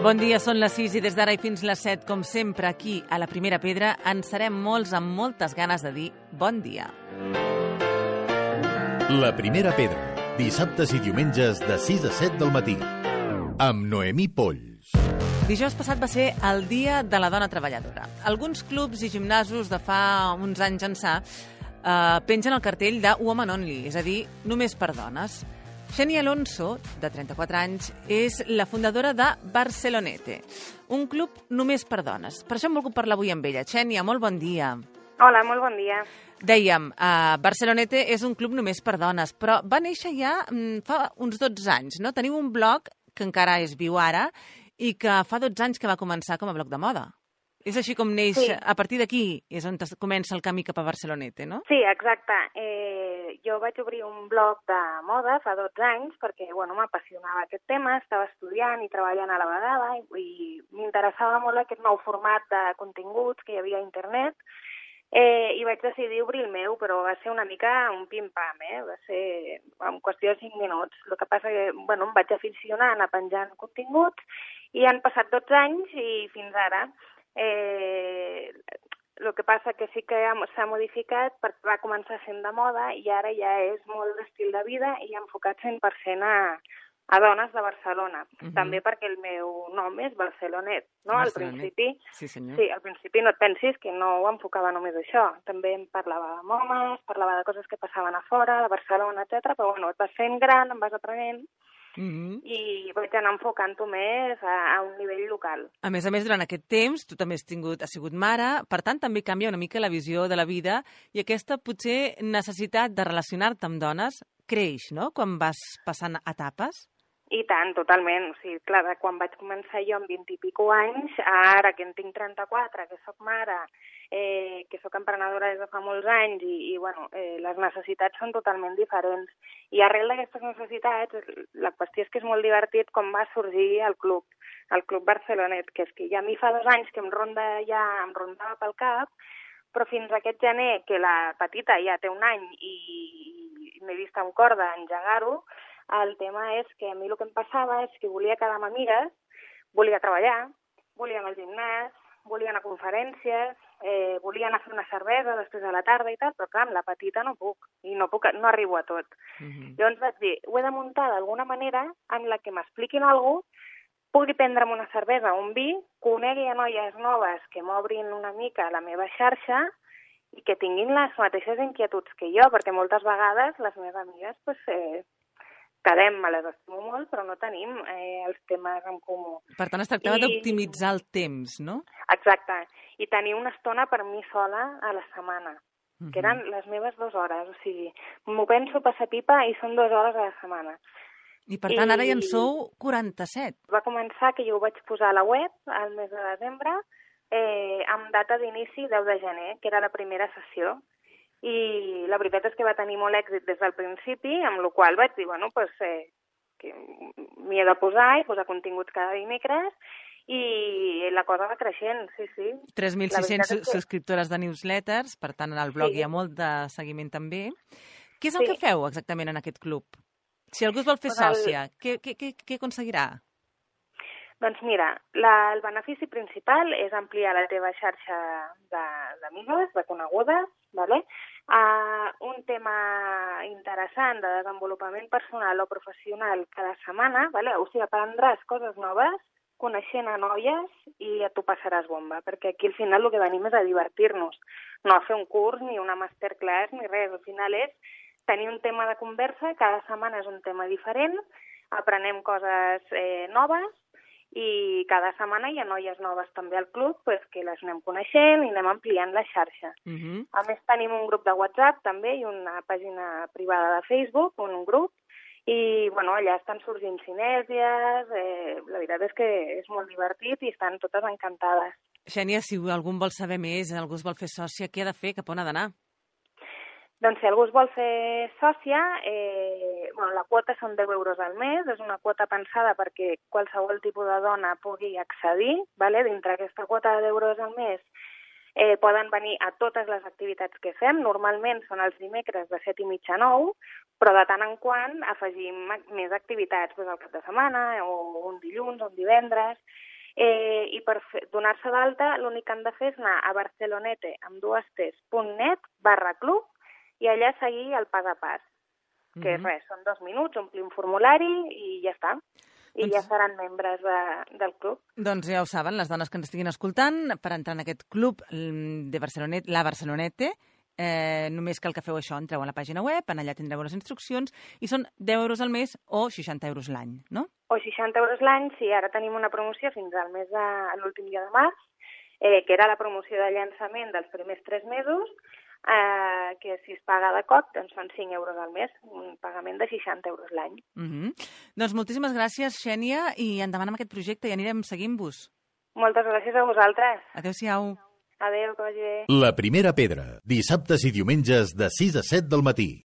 Bon dia, són les 6 i des d'ara i fins les 7, com sempre, aquí, a la Primera Pedra, en serem molts amb moltes ganes de dir bon dia. La Primera Pedra, dissabtes i diumenges de 6 a 7 del matí, amb Noemí Polls. Dijous passat va ser el Dia de la Dona Treballadora. Alguns clubs i gimnasos de fa uns anys ençà pengen el cartell de Woman Only, és a dir, només per dones. Xènia Alonso, de 34 anys, és la fundadora de Barcelonete, un club només per dones. Per això hem volgut parlar avui amb ella. Xènia, molt bon dia. Hola, molt bon dia. Dèiem, Barcelonete és un club només per dones, però va néixer ja fa uns 12 anys, no? Teniu un blog que encara és viu ara i que fa 12 anys que va començar com a blog de moda. És així com neix, sí. A partir d'aquí és on comença el camí cap a Barcelonete, no? Sí, exacte. Jo vaig obrir un blog de moda fa 12 anys perquè m'apassionava aquest tema, estava estudiant i treballant a la vegada i m'interessava molt aquest nou format de continguts que hi havia a internet i vaig decidir obrir el meu, però va ser una mica un pim-pam, va ser en qüestió de 5 minuts. El que passa que em vaig aficionar a anar penjant continguts i han passat 12 anys i fins ara. El que passa que sí que s'ha modificat perquè va començar sent de moda i ara ja és molt d'estil de vida i enfocat 100% a dones de Barcelona. També perquè el meu nom és Barcelonet, no? Al principi, sí, al principi no et pensis que no ho enfocava només això. També em parlava amb homes, parlava de coses que passaven a fora, de Barcelona, etc. Però et vas fent gran, em vas aprenent i vaig anar enfocant-ho més a un nivell local. A més, durant aquest temps, tu també has sigut mare, per tant, també canvia una mica la visió de la vida i aquesta, potser, necessitat de relacionar-te amb dones creix, no?, quan vas passant etapes? I tant, totalment. O sigui, clar, quan vaig començar jo amb 20 i escaig anys, ara que en tinc 34, que soc mare, que soc emprenedora des de fa molts anys i les necessitats són totalment diferents. I arrel d'aquestes necessitats, la qüestió és que és molt divertit com va sorgir el Club Barcelonet, que és que ja a mi fa 2 anys que em rondava pel cap, però fins aquest gener, que la petita ja té 1 any i m'he vist amb corda engegar-ho, el tema és que a mi el que em passava és que volia quedar amb amigues, volia treballar, volia anar al gimnàs, volia anar a conferències, volia anar a fer una cervesa després de la tarda i tal, però clar, amb la petita no puc, i no arribo a tot. Llavors vaig dir, ho he de muntar d'alguna manera en la que m'expliquin alguna cosa, pugui prendre'm una cervesa o un vi, conegui a noies noves que m'obrin una mica la meva xarxa i que tinguin les mateixes inquietuds que jo, perquè moltes vegades les meves amigues quedem, me les estimo molt, però no tenim els temes en comú. Per tant, es tractava d'optimitzar el temps, no? Exacte. I tenir una estona per mi sola a la setmana, que eren les meves 2 hores. O sigui, m'ho penso passar pipa i són 2 hores a la setmana. I per tant, ara ja en sou 47. Va començar que jo ho vaig posar a la web al mes de desembre, amb data d'inici 10 de gener, que era la primera sessió. I la veritat és que va tenir molt èxit des del principi, amb la qual vaig dir, que m'hi he de posar i posar continguts cada dimecres, i la cosa va creixent, sí. 3.600 subscriptores de newsletters, per tant, al blog hi ha molt de seguiment també. Què és el que feu exactament en aquest club? Si algú es vol fer sòcia, què aconseguirà? Doncs mira, el benefici principal és ampliar la teva xarxa d'amigues, de conegudes, ¿vale? Un tema interessant de desenvolupament personal o professional cada setmana, ¿vale? O sigui, aprendràs coses noves, coneixent a noies i tu passaràs bomba, perquè aquí al final el que venim és a divertir-nos, no a fer un curs ni una masterclass ni res, al final és tenir un tema de conversa, cada setmana és un tema diferent, aprenem coses noves, i cada setmana hi ha noies noves també al club que les anem coneixent i anem ampliant la xarxa. A més, tenim un grup de WhatsApp també i una pàgina privada de Facebook, un grup, i allà estan sorgint sinèrgies, la veritat és que és molt divertit i estan totes encantades. Xènia, si algú vol saber més, algú es vol fer sòcia, què ha de fer, cap on ha d'anar? Doncs si algú es vol fer sòcia, la quota són 10 euros al mes, és una quota pensada perquè qualsevol tipus de dona pugui accedir, ¿vale? Dintre aquesta quota de 10 euros al mes poden venir a totes les activitats que fem, normalment són els dimecres de 7:30 a 9, però de tant en quant afegim més activitats al cap de setmana, o un dilluns, o un divendres, I per donar-se d'alta l'únic que han de fer és anar a barcelonete.net/club i allà seguir el pas a pas, que és res, són 2 minuts, omplir un formulari i ja està. I ja seran membres del club. Doncs ja ho saben, les dones que ens estiguin escoltant, per entrar en aquest club de Barcelonete, la Barcelonete, només cal que feu això, entreu a la pàgina web, allà tindreu les instruccions, i són 10 euros al mes o 60 euros l'any, no? O 60 euros l'any, sí, ara tenim una promoció fins al mes de l'últim dia de març, que era la promoció de llançament dels primers 3 mesos, que si es paga de cop, doncs són 5 euros al mes, un pagament de 60 euros l'any. Doncs moltíssimes gràcies, Xènia, i endavant amb aquest projecte i anirem seguint-vos. Moltes gràcies a vosaltres. Adéu-siau. Adéu, que vagi bé. La primera pedra, dissabtes i diumenges de 6 a 7 del matí.